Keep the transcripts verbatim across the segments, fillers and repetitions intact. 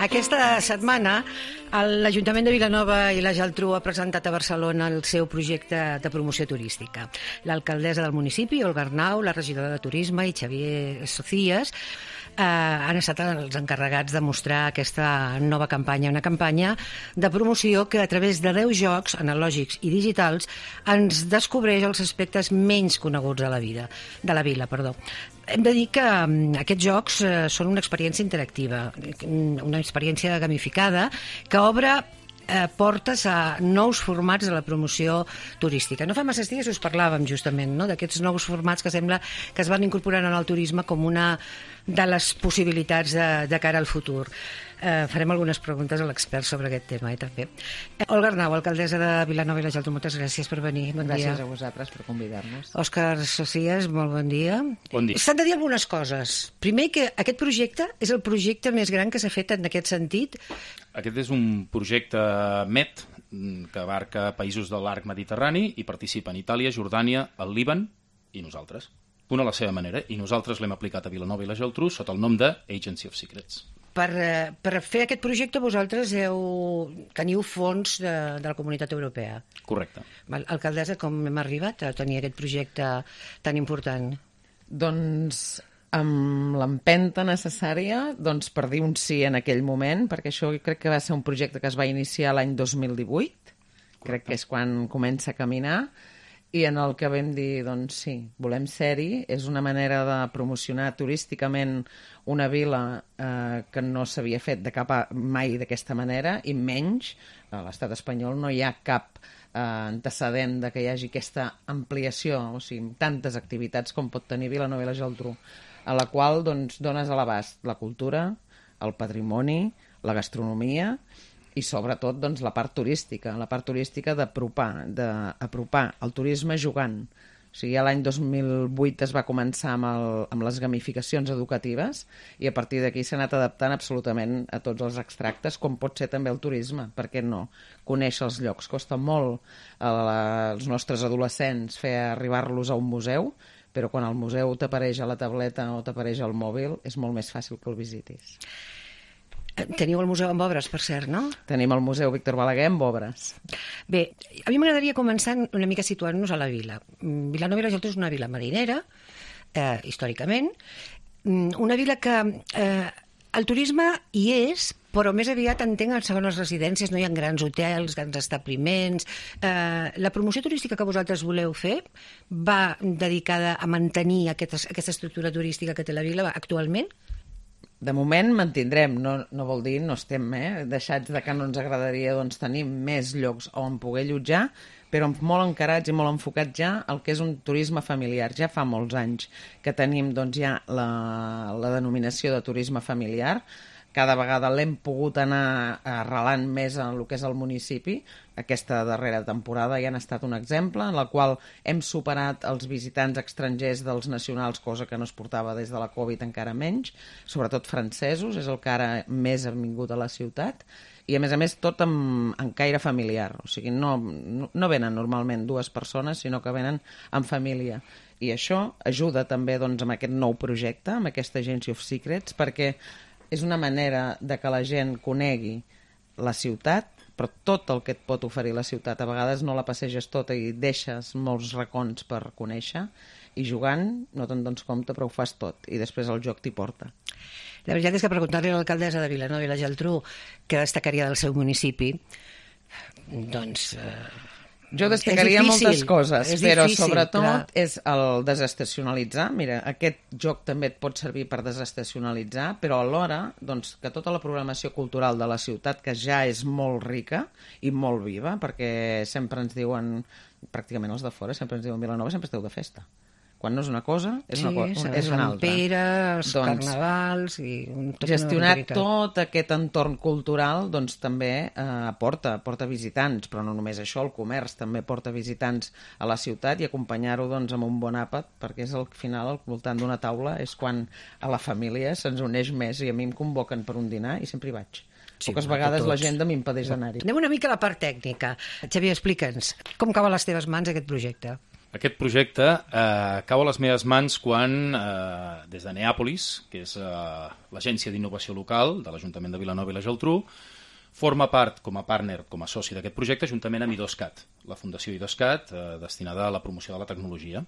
Aquesta setmana l'Ajuntament de Vilanova i la Geltrú ha presentat a Barcelona el seu projecte de promoció turística. L'alcaldessa del municipi, Olga Arnau, la regidora de Turisme i Xavier Socias eh, han estat els encarregats de mostrar aquesta nova campanya, una campanya de promoció que a través de deu jocs analògics i digitals ens descobreix els aspectes menys coneguts de la vida, de la vila, perdó. Hem de dir que aquests jocs eh, són una experiència interactiva, una experiència gamificada que obre eh, portes a nous formats de la promoció turística. No fa massa dies us parlàvem justament, no?, d'aquests nous formats que sembla que es van incorporant en el turisme com una de les possibilitats de, de cara al futur. Eh, farem algunes preguntes a l'expert sobre aquest tema, eh, també. Eh, Olga Arnau, alcaldessa de Vilanova i la Geltrú, moltes gràcies per venir. Bon gràcies dia. a vosaltres per convidar-nos. Òscar Socias, molt bon dia. Bon dia. S'han de dir algunes coses. Primer, que aquest projecte és el projecte més gran que s'ha fet en aquest sentit. Aquest és un projecte M E T que abarca països de l'arc mediterrani i participen Itàlia, Jordània, el Líban i nosaltres. Una a la seva manera, i nosaltres l'hem aplicat a Vilanova i la Geltrú sota el nom de Agency of Secrets. Per, per fer aquest projecte vosaltres heu, teniu fons de, de la Comunitat Europea. Correcte. Val, alcaldessa, com hem arribat a tenir aquest projecte tan important? Doncs amb l'empenta necessària doncs, per dir un sí en aquell moment, perquè això crec que va ser un projecte que es va iniciar l'any dos mil divuit, Correcte. Crec que és quan comença a caminar, i en el que vam dir, doncs sí, volem ser-hi, és una manera de promocionar turísticament una vila eh, que no s'havia fet de cap a, mai d'aquesta manera, i menys, a l'estat espanyol no hi ha cap eh, antecedent de que hi hagi aquesta ampliació, o sigui, tantes activitats com pot tenir Vilanova i la Geltrú, a la qual doncs, dones a l'abast la cultura, el patrimoni, la gastronomia, i sobretot doncs, la part turística, la part turística d'apropar, d'apropar el turisme jugant. O sigui, l'any dos mil vuit es va començar amb, el, amb les gamificacions educatives i a partir d'aquí s'ha anat adaptant absolutament a tots els extractes, com pot ser també el turisme, per què no? Conèixer els llocs. Costa molt a la, als nostres adolescents fer arribar-los a un museu, però quan el museu t'apareix a la tableta o t'apareix al mòbil és molt més fàcil que el visitis. Teniu el museu amb obres, per cert, no? Tenim el museu Víctor Balaguer amb obres. Bé, a mi m'agradaria començar una mica situant-nos a la vila. Vilanova i la Geltrú és una vila marinera, eh, històricament, una vila que eh, el turisme hi és, però més aviat entenc en segones residències, no hi ha grans hotels, grans establiments. Eh, la promoció turística que vosaltres voleu fer va dedicada a mantenir aquesta, aquesta estructura turística que té la vila actualment? De moment mantindrem, no, no vol dir no estem eh, deixats de que no ens agradaria doncs, tenir més llocs on poder allotjar, però molt encarats i molt enfocats ja al que és un turisme familiar. Ja fa molts anys que tenim doncs, ja la, la denominació de turisme familiar. Cada vegada l'hem pogut anar arrelant més en el que és el municipi. Aquesta darrera temporada ja ha estat un exemple en la qual hem superat els visitants estrangers dels nacionals, cosa que no es portava des de la Covid encara menys, sobretot francesos, és el que ara més ha vingut a la ciutat, i a més a més tot amb, en caire familiar, o sigui, no, no, no venen normalment dues persones, sinó que venen en família. I això ajuda també doncs, amb aquest nou projecte, amb aquesta Agency of Secrets, perquè és una manera de que la gent conegui la ciutat, però tot el que et pot oferir la ciutat. A vegades no la passeges tota i deixes molts racons per conèixer, i jugant no te'n dones compte, però ho fas tot, i després el joc t'hi porta. La veritat és que preguntar-li a l'alcaldessa de Vilanova i la Geltrú què destacaria del seu municipi, doncs... Eh... Jo destacaria moltes coses, és però difícil, sobretot clar. És el desestacionalitzar. Mira, aquest joc també et pot servir per desestacionalitzar, però alhora doncs, que tota la programació cultural de la ciutat, que ja és molt rica i molt viva, perquè sempre ens diuen, pràcticament els de fora, sempre ens diuen Vilanova, sempre esteu de festa. Quan no és una cosa, és una, sí, co és una altra. Pere, els doncs, carnavals... I tot gestionar tot aquest entorn cultural doncs, també eh, aporta, aporta visitants, però no només això, el comerç també porta visitants a la ciutat, i acompanyar-ho doncs, amb un bon àpat, perquè és al final, al voltant d'una taula, és quan a la família se'ns uneix més, i a mi em convoquen per un dinar i sempre hi vaig. Sí, poques vegades l'agenda m'impedeix anar-hi. Anem una mica a la part tècnica. Xavier, explica'ns, com cau a les teves mans aquest projecte? Aquest projecte eh, cau a les meves mans quan, eh, des de Neàpolis, que és eh, l'agència d'innovació local de l'Ajuntament de Vilanova i la Geltrú, forma part, com a partner, com a soci d'aquest projecte, juntament amb IDOSCAT, la Fundació IDOSCAT, eh, destinada a la promoció de la tecnologia.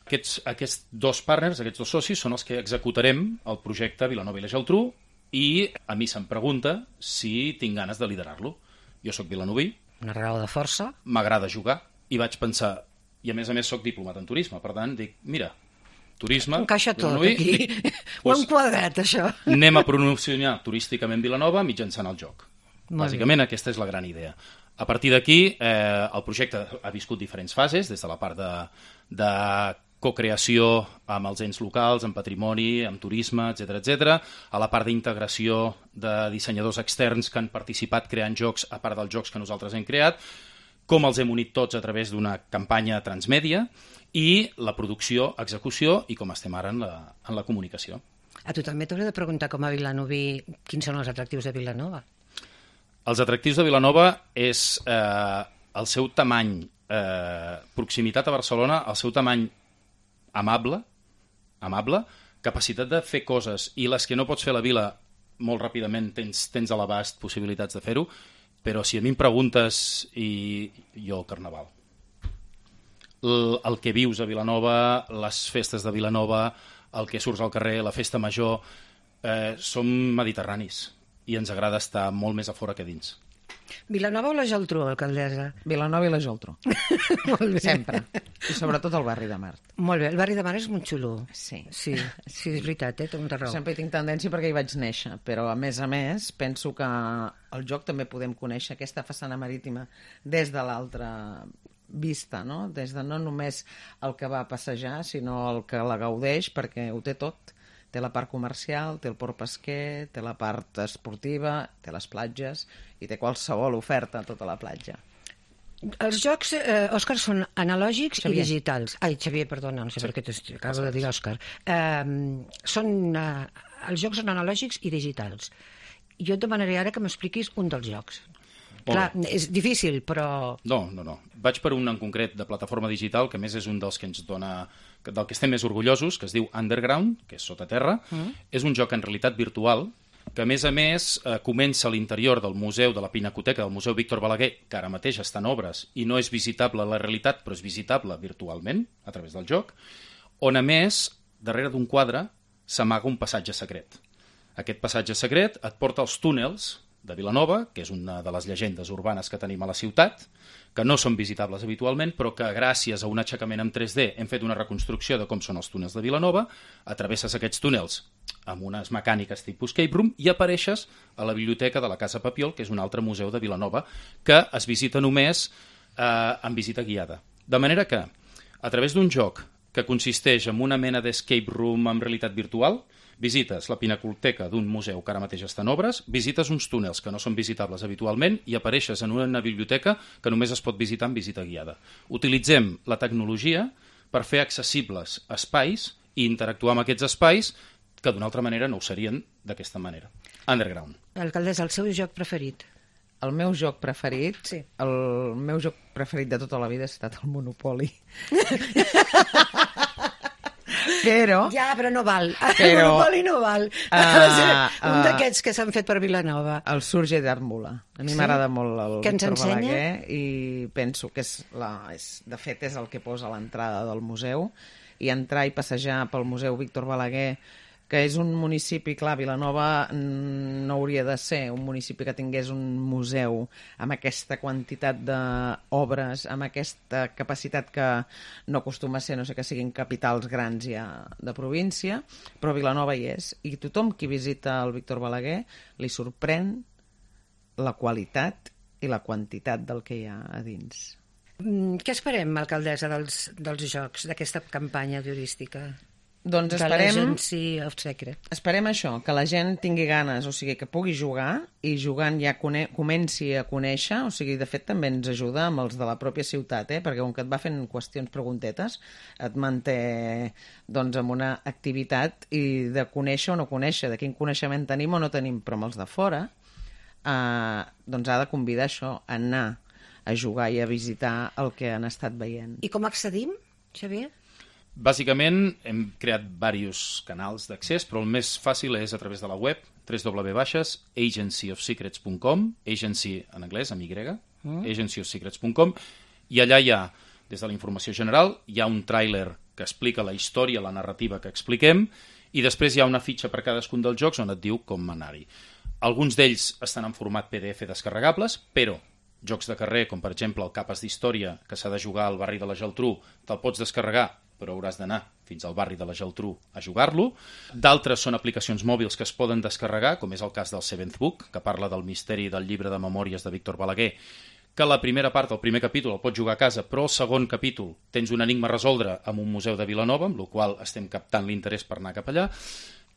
Aquests, aquests dos partners, aquests dos socis, són els que executarem el projecte Vilanova i la Geltrú i a mi se'm pregunta si tinc ganes de liderar-lo. Jo sóc vilanoví. Una raó de força. M'agrada jugar i vaig pensar, i a més a més sóc diplomat en turisme, per tant dic, mira, turisme... Encaixa tot vilanoví, aquí. Dic, Ho hem quadrat, això. Anem a promocionar turísticament Vilanova mitjançant el joc. Molt Bàsicament bé. aquesta és la gran idea. A partir d'aquí, eh, el projecte ha viscut diferents fases, des de la part de, de cocreació amb els ens locals, amb patrimoni, amb turisme, etcètera, etcètera, a la part d'integració de dissenyadors externs que han participat creant jocs a part dels jocs que nosaltres hem creat, com els hem unit tots a través d'una campanya transmèdia i la producció, execució i com estem ara en la, en la comunicació. A tu també t'hauré de preguntar com a vilanoví quins són els atractius de Vilanova. Els atractius de Vilanova és eh, el seu tamany, eh, proximitat a Barcelona, el seu tamany amable, amable, capacitat de fer coses i les que no pots fer a la vila molt ràpidament tens, tens a l'abast possibilitats de fer-ho, però si a mi em preguntes, i jo el Carnaval. El, el que vius a Vilanova, les festes de Vilanova, el que surts al carrer, la festa major, eh, som mediterranis i ens agrada estar molt més a fora que dins. Vilanova o la Geltrú, alcaldessa? Vilanova i la Geltrú. Molt bé. Sempre. I sobretot el barri de Mart. Molt bé, el barri de Mar és molt xulo. Sí. Sí, sí, és veritat, eh? Té molta raó. Sempre hi tinc tendència perquè hi vaig néixer, però a més a més penso que al joc també podem conèixer aquesta façana marítima des de l'altra vista, no? Des de no només el que va a passejar, sinó el que la gaudeix, perquè ho té tot. Té la part comercial, té el port pesquer, té la part esportiva, té les platges i té qualsevol oferta a tota la platja. Els jocs, eh, Òscar, són analògics Xavier. i digitals. Ai, Xavier, perdona, no sé sí. per què t'acabo de dir Òscar. Eh, són, eh, els jocs són analògics i digitals. Jo et demanaré ara que m'expliquis un dels jocs. Clar, és difícil, però... No, no, no. Vaig per un en concret de plataforma digital, que a més és un dels que ens dona... del que estem més orgullosos, que es diu Underground, que és sota terra. Mm. És un joc en realitat virtual, que a més a més eh, comença a l'interior del museu de la Pinacoteca, del Museu Víctor Balaguer, que ara mateix està en obres i no és visitable a la realitat, però és visitable virtualment, a través del joc, on a més, darrere d'un quadre, s'amaga un passatge secret. Aquest passatge secret et porta als túnels de Vilanova, que és una de les llegendes urbanes que tenim a la ciutat, que no són visitables habitualment, però que gràcies a un aixecament en tres D hem fet una reconstrucció de com són els túnels de Vilanova, atravesses aquests túnels amb unes mecàniques tipus escape room i apareixes a la biblioteca de la Casa Papiol, que és un altre museu de Vilanova, que es visita només eh, en visita guiada. De manera que, a través d'un joc que consisteix en una mena d'escape room amb realitat virtual, visites la pinacoteca d'un museu que ara mateix està en obres, visites uns túnels que no són visitables habitualment i apareixes en una biblioteca que només es pot visitar en visita guiada. Utilitzem la tecnologia per fer accessibles espais i interactuar amb aquests espais que d'una altra manera no ho serien d'aquesta manera. Underground. Alcaldessa, el seu joc preferit? El meu joc preferit, sí. el meu joc preferit de tota la vida ha estat el Monopoly. Però... Ja, però no val. Però, el Monopoli no val. Uh, uh, un d'aquests que s'han fet per Vilanova. El Surge d'Àrmula. A mi sí? m'agrada molt el que ens Víctor ensenya? Balaguer i penso que és, la, és, de fet és el que posa a l'entrada del museu, i entrar i passejar pel Museu Víctor Balaguer, que és un municipi, clar, Vilanova no hauria de ser un municipi que tingués un museu amb aquesta quantitat d'obres, amb aquesta capacitat que no acostuma a ser, no sé que siguin capitals grans ja de província, però Vilanova hi és. I tothom qui visita el Víctor Balaguer li sorprèn la qualitat i la quantitat del que hi ha a dins. Què esperem, alcaldessa, dels, dels jocs, d'aquesta campanya turística? Doncs de esperem, l'Agency of Secret. Esperem això, que la gent tingui ganes, o sigui, que pugui jugar i jugant ja cone comenci a conèixer, o sigui, de fet també ens ajuda amb els de la pròpia ciutat, eh? Perquè com que et va fent qüestions preguntetes, et manté doncs amb una activitat i de conèixer o no conèixer, de quin coneixement tenim o no tenim, però amb els de fora, eh, doncs ha de convidar això, a anar a jugar i a visitar el que han estat veient. I com accedim, Xavier? Bàsicament hem creat diversos canals d'accés, però el més fàcil és a través de la web w w w punt agency of secrets punt com, agency en anglès, amb Y, mm. agency of secrets punt com, i allà hi ha, des de la informació general, hi ha un tràiler que explica la història, la narrativa que expliquem, i després hi ha una fitxa per cadascun dels jocs on et diu com anar-hi. Alguns d'ells estan en format P D F descarregables, però jocs de carrer, com per exemple el Capes d'Història, que s'ha de jugar al barri de la Geltrú, te'l pots descarregar, però hauràs d'anar fins al barri de la Geltrú a jugar-lo. D'altres són aplicacions mòbils que es poden descarregar, com és el cas del Seventh Book, que parla del misteri del llibre de memòries de Víctor Balaguer, que la primera part, el primer capítol, el pots jugar a casa, però el segon capítol tens un enigma a resoldre amb un museu de Vilanova, amb el qual estem captant l'interès per anar cap allà.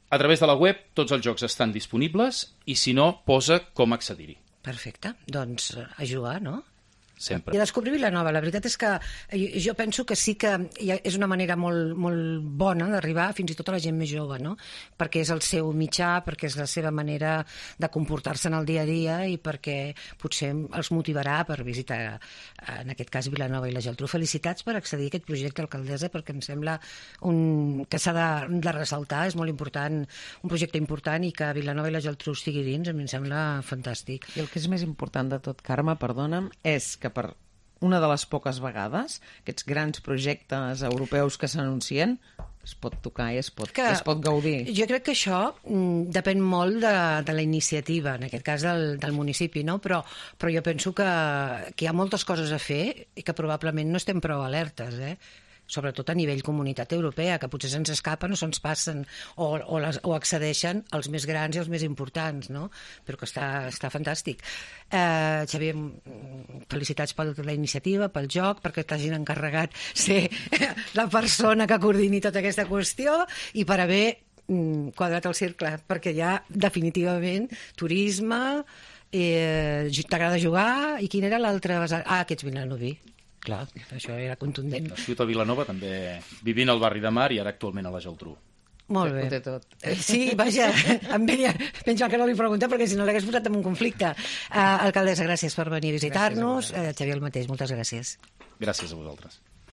A través de la web tots els jocs estan disponibles i, si no, posa com accedir-hi. Perfecte. Doncs a jugar, no? Sempre. I a descobrir Vilanova. La veritat és que jo penso que sí que és una manera molt, molt bona d'arribar fins i tot a la gent més jove, no? Perquè és el seu mitjà, perquè és la seva manera de comportar-se en el dia a dia i perquè potser els motivarà per visitar, en aquest cas, Vilanova i la Geltrú. Felicitats per accedir a aquest projecte, alcaldessa, perquè em sembla un, que s'ha de, de ressaltar, és molt important, un projecte important, i que Vilanova i la Geltrú estigui dins, a mi em sembla fantàstic. I el que és més important de tot, Carme, perdona'm, és que per una de les poques vegades aquests grans projectes europeus que s'anuncien es pot tocar i es pot, que, es pot gaudir. Jo crec que això mm, depèn molt de, de la iniciativa, en aquest cas del, del municipi, no? però, però jo penso que, que hi ha moltes coses a fer i que probablement no estem prou alertes, eh? Sobretot a nivell comunitat europea, que potser se'ns escapen o se'ns passen o, o, les, o accedeixen els més grans i els més importants, no? Però que està, està fantàstic. Eh, Xavier, felicitats per la iniciativa, pel joc, perquè t'hagin encarregat ser la persona que coordini tota aquesta qüestió i per haver quadrat el cercle, perquè ja definitivament turisme, eh, t'agrada jugar, i quin era l'altre? Ah, aquests vilanoví. Clar, això era contundent. Nascut a Vilanova, també vivint al barri de Mar i ara actualment a la Geltrú. Molt bé. Ho té tot. Sí, vaja, em venia, penso que no li pregunta perquè si no l'hagués posat en un conflicte. Uh, alcaldessa, gràcies per venir a visitar-nos. Uh, Xavier, el mateix, moltes gràcies. Gràcies a vosaltres.